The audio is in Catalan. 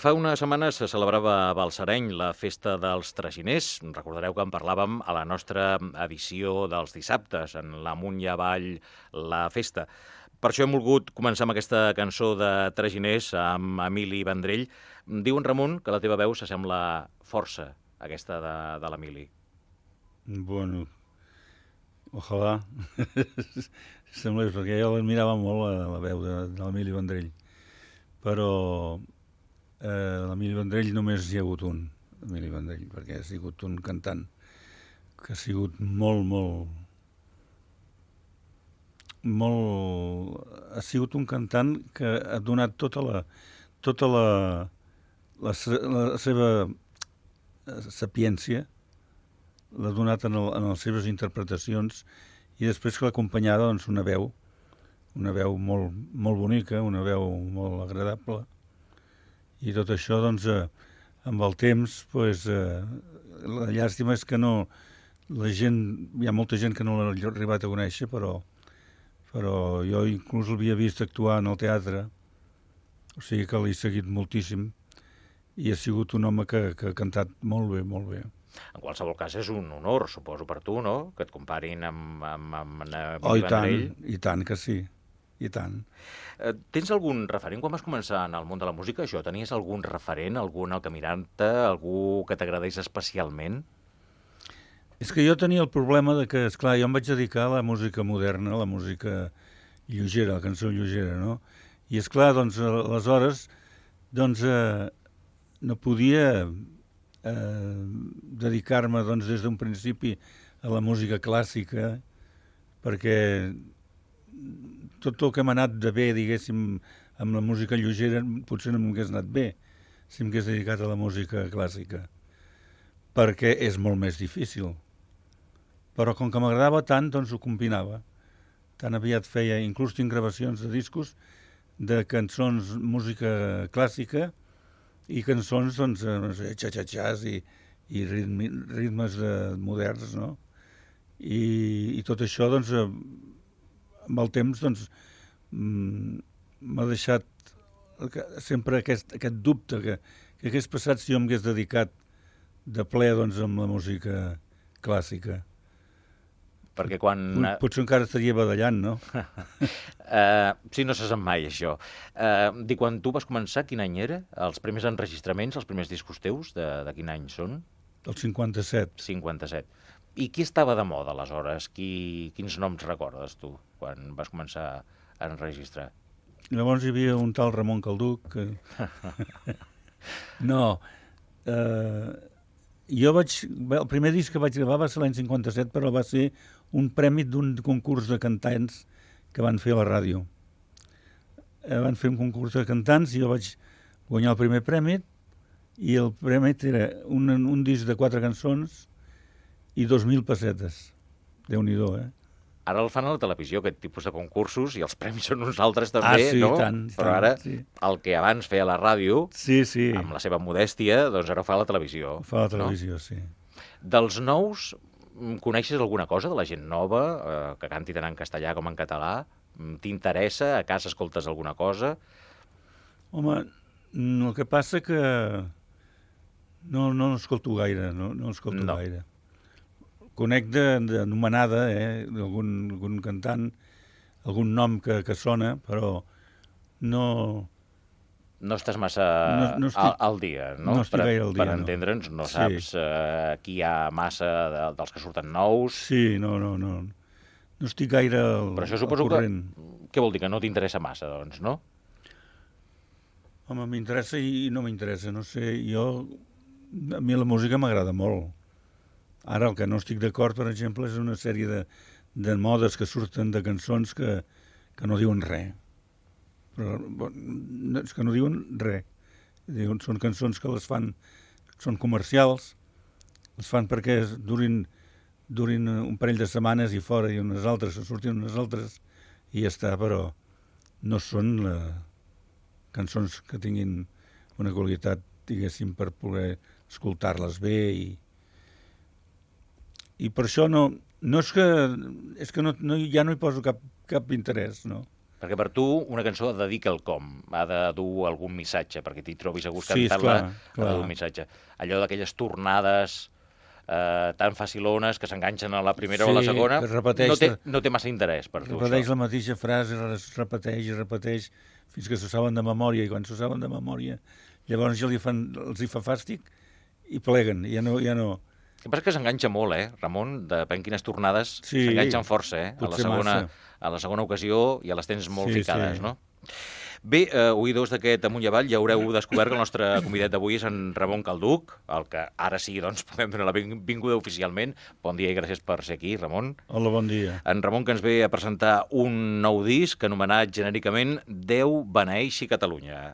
Fa unes setmanes se celebrava a Balsareny la festa dels traginers. Recordareu que en parlàvem a la nostra edició dels dissabtes, en l'Amunt i Avall, la festa. Per això hem volgut començar amb aquesta cançó de traginers amb Emili Vendrell. Diu en Ramon que la teva veu s'assembla força a aquesta de l'Emili. Bueno, ojalà semblés, perquè jo l'admirava molt la veu de l'Emili Vendrell, però l'Emili Vendrell només hi ha hagut un, Emili Vendrell, perquè ha sigut un cantant que ha sigut ha sigut un cantant que ha donat tota la seva sapiència, l'ha donat en les seves interpretacions, i després que l'acompanyava doncs, una veu molt bonica, una veu molt agradable, i tot això doncs, amb el temps doncs, la llàstima és que no, hi ha molta gent que no l'ha arribat a conèixer, però jo inclús l'havia vist actuar en el teatre, o sigui que l'he seguit moltíssim, i ha sigut un home que ha cantat molt bé, molt bé. En qualsevol cas és un honor, suposo, per tu, no?, que et comparin amb Emili Vendrell. I tant que sí, i tant. Tens algun referent? Quan vas començar en el món de la música, això, tenies algun referent, algun al que mirar-te, algú que t'agradés especialment? És que jo tenia el problema de que, esclar, jo em vaig dedicar a la música moderna, a la música lleugera, la cançó lleugera, no? I, esclar, doncs, aleshores, doncs, no podia dedicar-me, doncs, des d'un principi a la música clàssica, perquè tot el que m'ha anat de bé, diguéssim, amb la música lleugera, potser no m'hagués anat bé si m'hagués dedicat a la música clàssica, perquè és molt més difícil. Però com que m'agradava tant, doncs ho combinava. Tan aviat feia, inclús tinc gravacions de discos de cançons, música clàssica, i cançons, doncs, xa-xa-xas i ritmes moderns, no? I tot això, doncs, amb el temps, doncs, m'ha deixat sempre aquest dubte que hagués passat si jo m'hagués dedicat de ple, doncs, amb la música clàssica. Perquè quan... Potser encara estaria badallant, no? Sí, no se sap mai, això. Quan tu vas començar, quin any era? Els primers enregistraments, els primers discos teus, de quin any són? Del 57. 57. I qui estava de moda, aleshores? Quins noms recordes, tu, quan vas començar a enregistrar? Llavors hi havia un tal Ramon Calduc que... No, el primer disc que vaig gravar va ser l'any 57, però va ser un premi d'un concurs de cantants que van fer a la ràdio. Van fer un concurs de cantants i jo vaig guanyar el primer premi, i el premi era un disc de 4 cançons i 2.000 pessetes. Déu-n'hi-do, eh? Ara el fan a la televisió, aquest tipus de concursos, i els premis són uns altres també, sí, no? Tant, però ara, sí. El que abans feia a la ràdio, sí. Amb la seva modèstia, doncs ara ho fa a la televisió. Ho fa a la televisió, no? Sí. Dels nous, coneixes alguna cosa de la gent nova, que canti tant en castellà com en català? T'interessa? A casa escoltes alguna cosa? Home, el que passa que no escolto gaire, no escolto gaire. Conec d'anomenada, algun cantant, algun nom que sona, però no... No estàs massa al dia, no? No estic gaire al dia, per entendre'ns, no saps qui hi ha massa dels que surten nous. Sí, no estic gaire al corrent. Però això suposo que... Què vol dir? Que no t'interessa massa, doncs, no? Home, m'interessa i no m'interessa, no sé, a mi la música m'agrada molt. Ara el que no estic d'acord, per exemple, és una sèrie de modes que surten de cançons que no diuen res. Però és que no diuen res. Són cançons que les fan, són comercials, les fan perquè durin un parell de setmanes i fora, i unes altres, que surtin unes altres, i ja està, però no són cançons que tinguin una qualitat, diguéssim, per poder escoltar-les bé, i per això no és que ja no hi poso cap interès, no? Perquè per tu una cançó ha de dir quelcom, ha de dur algun missatge, perquè t'hi trobis a gust Sí, cantant-la, esclar, ha de dur un missatge. Allò d'aquelles tornades tan facilones que s'enganxen a la primera o a la segona, que repeteix, no té massa interès per tu, repeteix això. la mateixa frase, repeteix i repeteix, fins que s'ho saben de memòria, i quan s'ho saben de memòria, llavors ja els hi fa fàstic i pleguen, ja no... El que passa és que s'enganxa molt, Ramon? Depèn quines tornades Sí, s'enganxen força, potser massa. A la segona ocasió ja les tens molt Sí, ficades, sí. no? Bé, oïdors d'aquest Amunt i Avall, ja haureu descobert que el nostre convidat d'avui és en Ramon Calduc, el que ara sí, doncs, podem donar la benvinguda oficialment. Bon dia i gràcies per ser aquí, Ramon. Hola, bon dia. En Ramon, que ens ve a presentar un nou disc anomenat genèricament Déu beneeixi Catalunya.